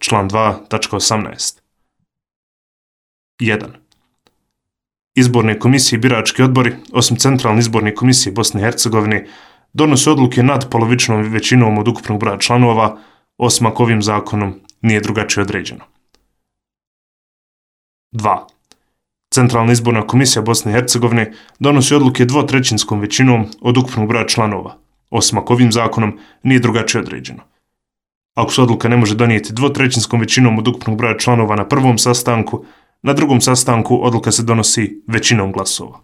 Član 2.18. 1. Izborne komisije i birački odbori, osim Centralne izborne komisije Bosne i Hercegovine, donose odluke nadpolovičnom većinom od ukupnog broja članova, osim ako ovim zakonom nije drugačije određeno. 2. Centralna izborna komisija Bosne i Hercegovine donosi odluke dvotrećinskom većinom od ukupnog broja članova, osim ako ovim zakonom nije drugačije određeno. Ako se odluka ne može donijeti dvotrećinskom većinom od ukupnog broja članova na prvom sastanku, na drugom sastanku odluka se donosi većinom glasova.